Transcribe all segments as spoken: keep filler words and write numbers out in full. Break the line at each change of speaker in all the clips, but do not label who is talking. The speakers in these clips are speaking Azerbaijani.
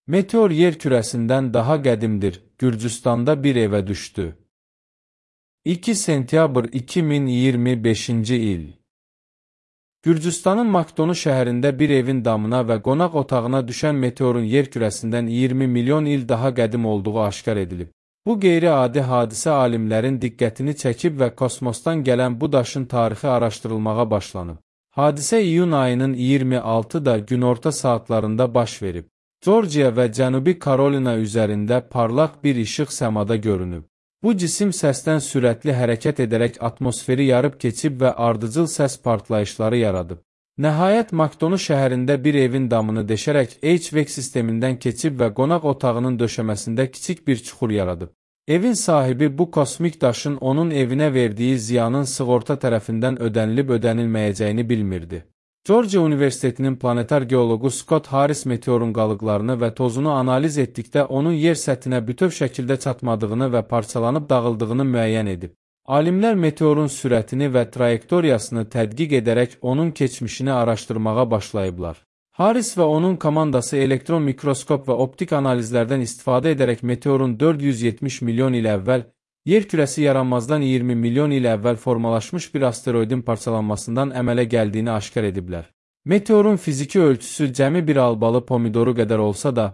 Meteor yer kürəsindən daha qədimdir. Gürcüstanda bir evə düşdü. iki sentyabr iki min iyirmi beşinci il. Gürcüstanın Makdonu şəhərində bir evin damına və qonaq otağına düşən meteorun yer kürəsindən iyirmi milyon il daha qədim olduğu aşkar edilib. Bu qeyri-adi hadisə alimlərin diqqətini çəkib və kosmosdan gələn bu daşın tarixi araşdırılmağa başlanıb. Hadisə iyun ayının iyirmi altıda günorta saatlarında baş verib. Georgia və Cənubi Karolina üzərində parlaq bir işıq səmada görünüb. Bu cisim səsdən sürətli hərəkət edərək atmosferi yarıb keçib və ardıcıl səs partlayışları yaradıb. Nəhayət Makdonu şəhərində bir evin damını deşərək H V A C sistemindən keçib və qonaq otağının döşəməsində kiçik bir çuxur yaradıb. Evin sahibi bu kosmik daşın onun evinə verdiyi ziyanın sığorta tərəfindən ödənilib ödənilməyəcəyini bilmirdi. Georgia Universitetinin planetar geologu Scott Harris meteorun qalıqlarını və tozunu analiz etdikdə onun yer səthinə bütöv şəkildə çatmadığını və parçalanıb dağıldığını müəyyən edib. Alimlər meteorun sürətini və trayektoriyasını tədqiq edərək onun keçmişini araşdırmağa başlayıblar. Harris və onun komandası elektron mikroskop və optik analizlərdən istifadə edərək meteorun dörd yüz yetmiş milyon il əvvəl yer kürəsi yaranmazdan iyirmi milyon il əvvəl formalaşmış bir asteroidin parçalanmasından əmələ gəldiyini aşkar ediblər. Meteorun fiziki ölçüsü cəmi bir albalı pomidoru qədər olsa da,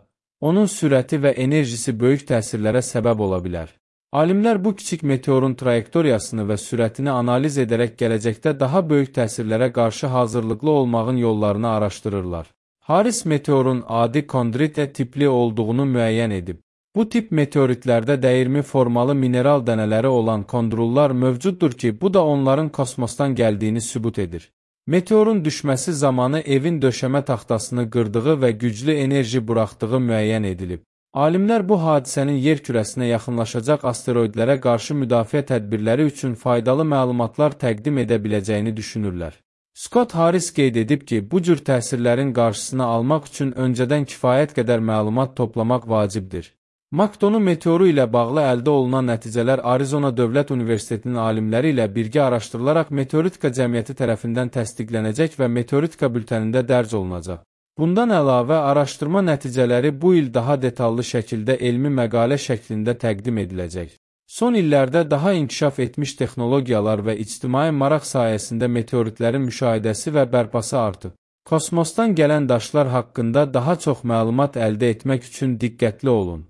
onun sürəti və enerjisi böyük təsirlərə səbəb ola bilər. Alimlər bu kiçik meteorun trayektoriyasını və sürətini analiz edərək gələcəkdə daha böyük təsirlərə qarşı hazırlıqlı olmağın yollarını araşdırırlar. Harris meteorun adi kondrit tipli olduğunu müəyyən edib. Bu tip meteoritlərdə dəyirmi formalı mineral dənələri olan kondrullar mövcuddur ki, bu da onların kosmosdan gəldiyini sübut edir. Meteorun düşməsi zamanı evin döşəmə taxtasını qırdığı və güclü enerji buraxdığı müəyyən edilib. Alimlər bu hadisənin yer kürəsinə yaxınlaşacaq asteroidlərə qarşı müdafiə tədbirləri üçün faydalı məlumatlar təqdim edə biləcəyini düşünürlər. Scott Harris qeyd edib ki, bu cür təsirlərin qarşısını almaq üçün öncədən kifayət qədər məlumat toplamaq vacibdir. Makdonu meteoru ilə bağlı əldə olunan nəticələr Arizona Dövlət Universitetinin alimləri ilə birgə araşdırılaraq Meteoritika Cəmiyyəti tərəfindən təsdiqlənəcək və Meteoritika bültənində dərc olunacaq. Bundan əlavə, araşdırma nəticələri bu il daha detallı şəkildə elmi məqalə şəklində təqdim ediləcək. Son illərdə daha inkişaf etmiş texnologiyalar və ictimai maraq sayəsində meteoritlərin müşahidəsi və bərpası artıb. Kosmosdan gələn daşlar haqqında daha çox məlumat əldə etmək üçün diqqətli olun.